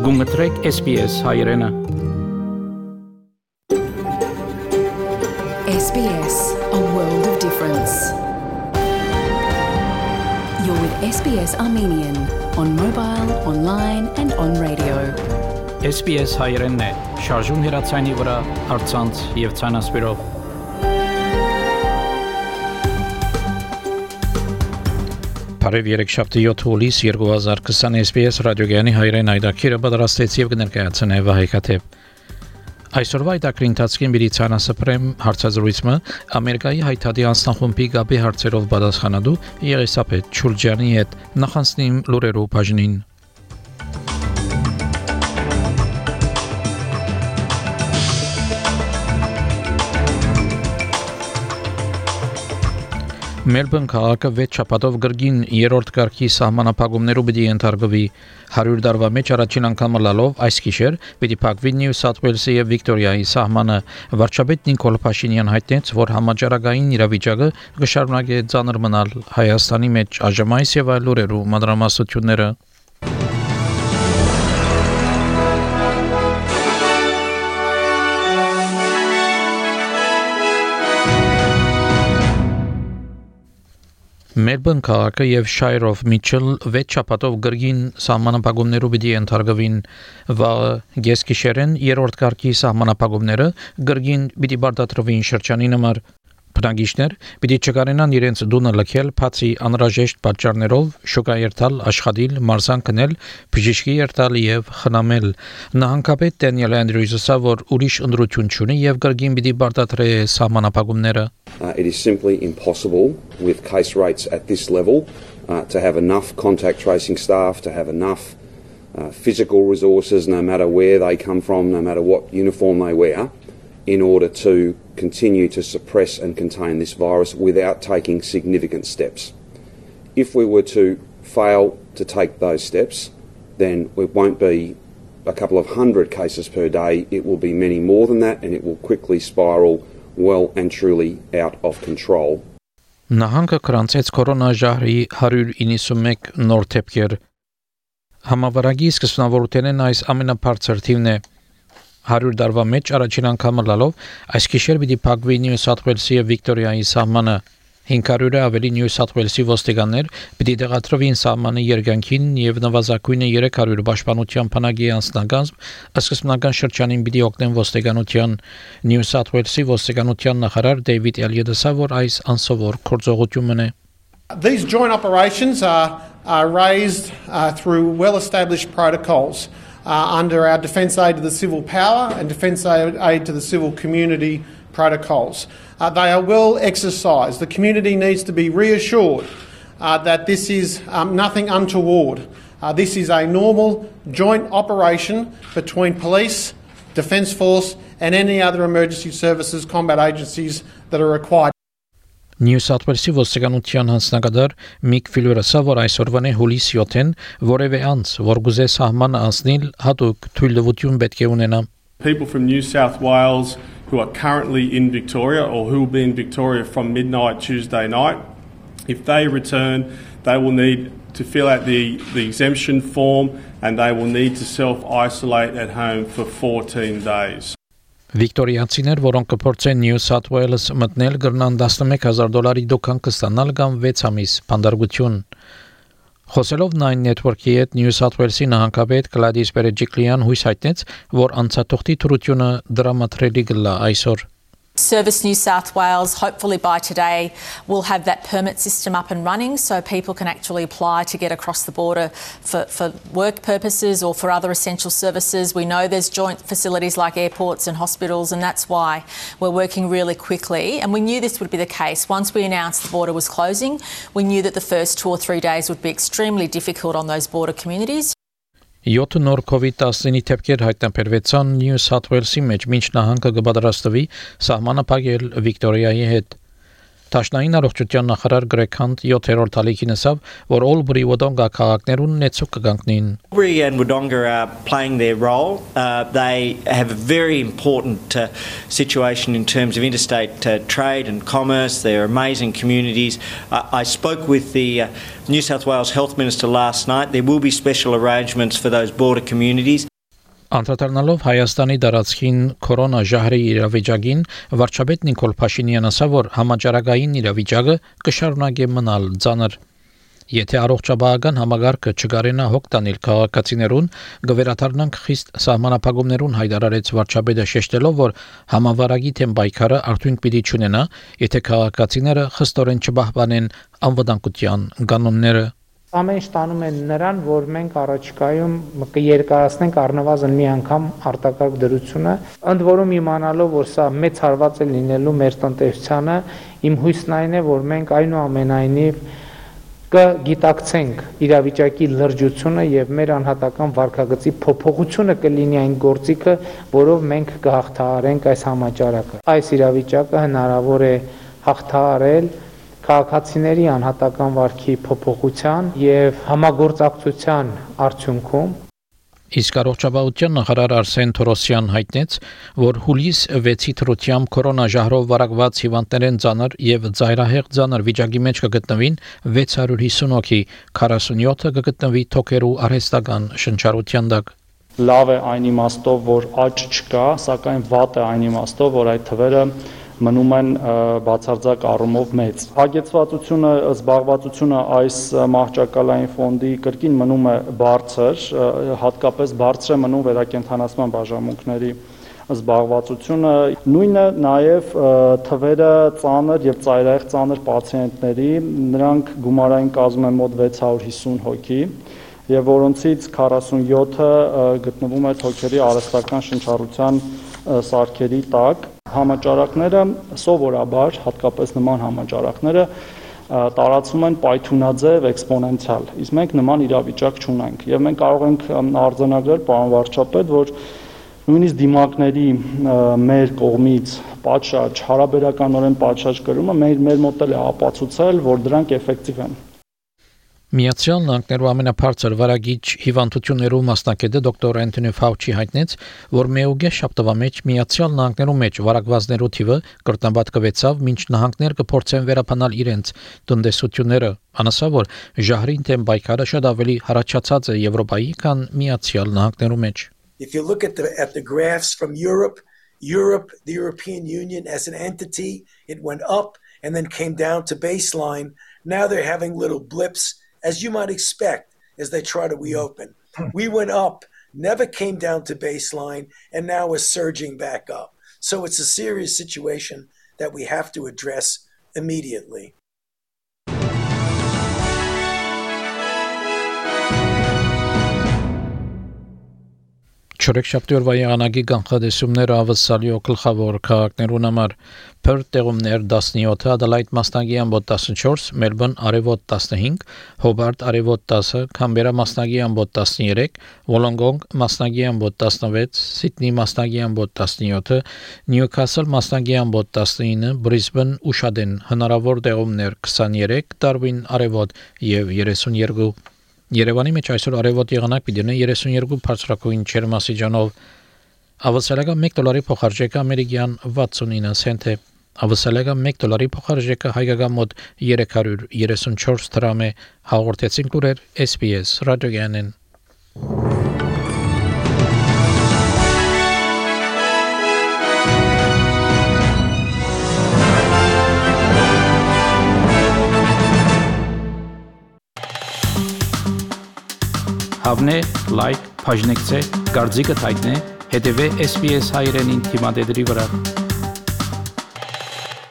Գումտրեք SBS հայրենը SBS, a world of difference. You're with SBS Armenian on mobile, online and on radio. SBS հայրենն է, շարժուն հեռացանի վրա, առցանց եւ ցանասպիրով։ Բարև երեքշաբթի 7 հուլիս 2020 SBS ռադիոգյանի հայրեն այդակիրը պատրաստեց եւ կներկայացնե Վահեկաթեփ։ Այսօրվա այդակրի ընթացքին մի ցանասպրեմ հարցազրույցը Ամերիկայի հայտարարի անձնախումբի գաբի հարցերով պատասխանատու Եղիսաբեթ Չուրջյանի հետ նախանցնիմ լուրերով բաժնին։ Մելբուրն քաղաքը 6 շաբաթով գրգին երրորդ կարգի սահմանափակումներով պիտի ենթարկվի 100 տարվա մեջ առաջին անգամ լալով այս գիշեր պիտի փակվի Նյու Սաութ Ուելսի եւ Վիկտորիայի սահմանը վարչապետ Նիկոլ Փաշինյան հայտնեց որ համաճարակային իրավիճակը կշարունակի ծանր մնալ Հայաստանի մեջ այժմ այս եւ այլ լուրերու մանրամասնությունները Մելբուրն քաղաքը եւ Shire of Mitchell 6 շաբաթով գրգին սահմանափակումներով պիտի ենթարկվին վաղը գեսկիշերեն երրորդ կարգի սահմանափակումները գրգին պիտի բարձրացվին շրջանին համար բնակիչներ պիտի չկարենան իրենց դունը լքել բացի անհրաժեշտ պատճառներով շոկա երթալ աշխատել մարզան կնել բժիշկի երթալ եւ խնամել նահանգապետ Դենիել Անդրյուզը որ ուրիշ ընդրություն չունի եւ գրգին պիտի բարձրացրե սահմանափակումները It is simply impossible with case rates at this level to have enough contact tracing staff, to have enough physical resources, no matter where they come from, no matter what uniform they wear, in order to continue to suppress and contain this virus without taking significant steps. If we were to fail to take those steps, then it won't be a couple of hundred cases per day, it will be many more than that, and it will quickly spiral well and truly out of control. Նահանգը կրանցեց կորոնաժահրի 191 նոր դեպքեր։ Համավարակի սկզբնավորութենեն այս ամենաբարձր թիվն է 100 տարվա մեջ առաջին անգամ լալով այս գիշեր պիտի փակվի Նյու Սաութ Ուելսի եւ Վիկտորիայի սահմանը 500-ը ավելի Նյու Սաութ Ուելսի ոստիկաններ պիտի դեղատրվին սահմանի երկայնքին եւ նվազագույնը 300 պաշտպանության բանակի անձնակազմ սկզբնական շրջանին պիտի օգնեն ոստիկանության Նյու Սաութ Ուելսի ոստիկանության նախարար Դեյվիդ Էլիոտը որ այս անսովոր գործողությունն է These joint operations are raised through well-established protocols under our Defence Aid to the Civil Power and Defence Aid to the Civil Community protocols. They are well exercised. The community needs to be reassured that this is nothing untoward. This is a normal joint operation between police, Defence Force and any other emergency services combat agencies that are required. Նյու Սաութ Ուելսի ոստիկանության հանձնագետար Միք Ֆիլվերը որ այսօրվան է հուլիս 7-ին որևէ անձ որ գուզե սահմանը անցնել հատուկ թույլտվություն պետք է ունենա People from New South Wales who are currently in Victoria or who will be in Victoria from midnight Tuesday night if they return they will need to fill out the exemption form and they will need to self-isolate at home for 14 days Վիկտորիացիներ, որոնք կփորձեն Նյու Սաութ Ուելս մտնել գրնան $11,000 դոկան կստանալ կամ 6 ամիս բանդարգություն։ Խոսելով Nine Network-ի հետ Նյու Սաութ Ուելսի նահանգապետ Գլադիս Բերեջիկլյան հույս հայտնեց, որ անցաթողտի թրությունը դրամատրելի կլա այսօր։ Service New South Wales, hopefully by today, will have that permit system up and running so people can actually apply to get across the border for work purposes or for other essential services. We know there's joint facilities like airports and hospitals and that's why we're working really quickly. And we knew this would be the case. Once we announced the border was closing, we knew that the first 2 or 3 days would be extremely difficult on those border communities. 7 նոր COVID-19 դեպքեր հայտնաբերվեցան Նյու Սաութ Ուելսի մեջ, մինչ նահանգը կպատրաստվի սահմանը փակել Վիկտորիայի հետ։ Տաշնային առողջության նախարար Գրեգ Հանտ 7-րդ ալիքին ասավ, որ Օլբրի Wodonga քաղաքներուն նեցուկ կգանքնին։ Albury and Wodonga are playing their role. They have a very important situation in terms of interstate trade and commerce. They're amazing communities. I spoke with the New South Wales Health Minister last night. There will be special arrangements for those border communities. Անդրադառնալով Հայաստանի դարածքին կորոնա ժահրի իրավիճակին, վարչապետ Նիկոլ Փաշինյանն ասավ, որ համաճարակային իրավիճակը կշարունակի մնալ ծանր։ Եթե առողջապահական համագարկը չգարենա հոգ տանել քաղաքացիներուն, կվերադառնանք խիստ սահմանափակումներուն հայտարարեց վարչապետը շեշտելով, որ համավարակի թեմ պայքարը արդյունք պիտի չունենա, եթե քաղաքացիները խստորեն չպահպանեն անվտանգության կանոնները։ Ամեն ինչ տանում են նրան, որ մենք առաջիկայում կերկարացնենք առնվազն մի անգամ արտակարգ դրությունը, ընդ որում իմանալով, որ սա մեծ հարված է լինելու մեր տնտեսությանը, իմ հույսն այն է, որ մենք այնուամենայնիվ կգիտակցենք իրավիճակի լրջությունը եւ մեր անհատական վարքագծի փոփոխությունը կլինի այն գործիքը, որով մենք կհաղթահարենք այս համաճարակը։ Այս իրավիճակը հնարավոր է հաղթահարել քաղաքացիների անհատական վարքի փոփոխության եւ համագործակցության արդյունքում։ Իսկ առողջապահության նախարար Արսեն Թորոսյան հայտնեց, որ հուլիս 6-ի թրությամբ կորոնա ժահրով վարակված հիվանդներեն ծանր եւ ծայրահեղ ծանր վիճակի մեջ կգտնվին 650 հոգի, 47-ը կգտնվի թոքերու արհեստական շնչառության տակ։ Լավ է այն իմաստով, որ աճ չկա, սակայն վատ է այն իմաստով, որ այդ թվերը մնում են բացարձակ առումով մեծ։ Հագեցվածությունը, զբաղվածությունը այս մահճակալային ֆոնդի կրկին մնում է բարձր, հատկապես բարձր է մնում վերակենդանացման բաժանմունքների զբաղվածությունը, նույնը նաև թվերը ծանր եւ ծայրահեղ ծանր պացիենտների, նրանք գումարային կազմում են մոտ 650 հոգի, եւ որոնցից 47-ը գտնվում է թոքերի արհեստական շնչառության սարքերի տակ։ Համաճարակները սովորաբար, հատկապես նման համաճարակները տարածվում են պայթունաձև էքսպոնենցիալ, իսկ մենք նման իրավիճակ չունենք եւ մենք կարող ենք արձանագրել, պարոն վարչապետ, որ նույնիսկ դիմակների մեր կողմից պատշաճ, հարաբերականորեն պատշաճ կրումը մեր մոտ է ապացուցել, որ դրանք էֆեկտիվ են։ Միացյալ Նահանգներու ամենաբարձր վարակիչ հիվանդություններու մասնակետը դոկտոր Անթոնի Ֆաուչի հայտնեց, որ մեուգե շաբթվա մեջ Միացյալ Նահանգներու մեջ վարակվածներու թիվը կրկնապատկվեցավ, մինչ նահանգներ կփորձեն վերապանալ իրենց տնտեսությունները։ Անասավ, որ ժահրին թեմ պայքարը շատ ավելի հառաջացած է Եվրոպայի, քան Միացյալ Նահանգներու մեջ։ If you look at the graphs from Europe, the European Union as an entity, it went up and then came down to baseline. Now they're having little blips, as you might expect, as they try to reopen. We went up, never came down to baseline, and now we're surging back up. So it's a serious situation that we have to address immediately. Չորեքշաբթի օրվա եղանակի կանխատեսումները ավսալիո գլխավոր քաղաքներուն համար Perth տեղումներ 17, Adelaide մասնագի ամբոտ 14, Melbourne արևոտ 15, Hobart արևոտ 10, Canberra մասնագի ամբոտ 13, Wollongong մասնագի ամբոտ 16, Sydney մասնագի ամբոտ 17, Newcastle մասնագի ամբոտ 19, Brisbane ուշադեն հնարավոր տեղումներ 23, Darwin արևոտ եւ 32 Երևանի մեջ այսօր արևոտ եղանակ պիտի ունենա 32 բարձրակույն ջերմաստիճանով։ Ավսալիական $1 փոխարժեքը ամերիկյան 69 سنت է։ Ավսալիական $1 փոխարժեքը հայկական մոտ 334 դրամ է։ Հաղորդեցին լուրեր SBS ռադիոյանեն։ Հավնե, լայք, բաժնեկցե, դարձիկը թայտնե, հետևե SBS հայրենին թիմադեդրի վրա։